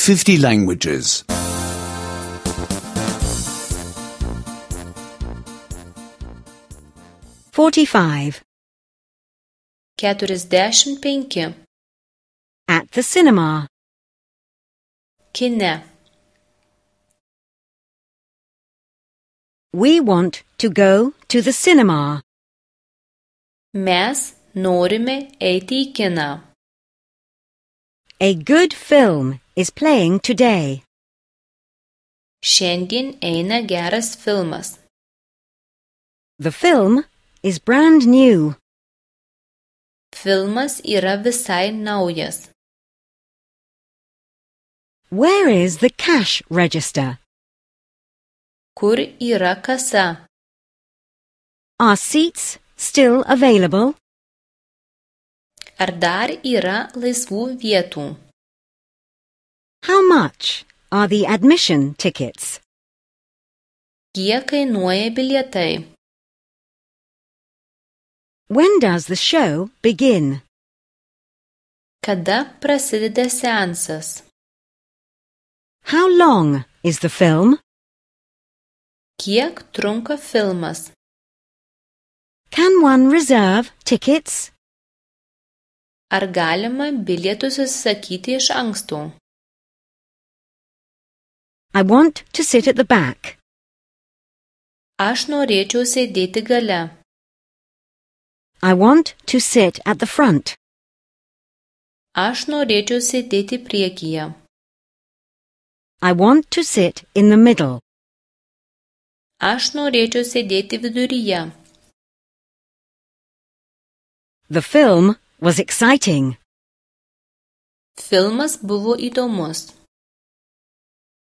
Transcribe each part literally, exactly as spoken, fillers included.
fifty languages. Forty-five. Keturiasdešimt penki. At the cinema. Kine. We want to go to the cinema. Mes norime eiti į kiną. A good film is playing today. Šiandien eina geras filmas. The film is brand new. Filmas yra visai naujas. Where is the cash register? Kur yra kasa? Are seats still available? Ar dar yra laisvų vietų? How much are the admission tickets? Kiek kainuoja bilietai? When does the show begin? Kada prasideda seansas? How long is the film? Kiek trunka filmas? Can one reserve tickets? Ar galima bilietus užsisakyti iš anksto? I want to sit at the back. Aš norėčiau sėdėti gale. I want to sit at the front. Aš norėčiau sėdėti priekyje. I want to sit in the middle. Aš norėčiau sėdėti viduryje. The film was exciting. Filmas buvo įdomus.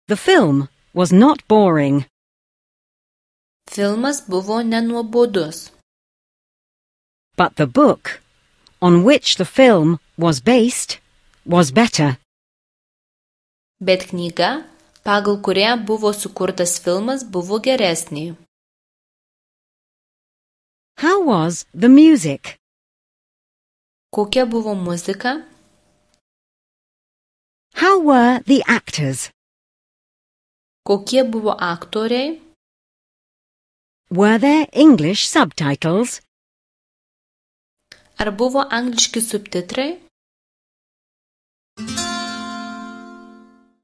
The film was not boring. Filmas buvo nenuobodus. But the book, on which the film was based, was better. Bet knyga, pagal kurią buvo sukurtas filmas, buvo geresnė. How was the music? Kokia buvo muzika? How were the actors? Kokie buvo aktoriai? Were there English subtitles? Ar buvo angliški subtitrai?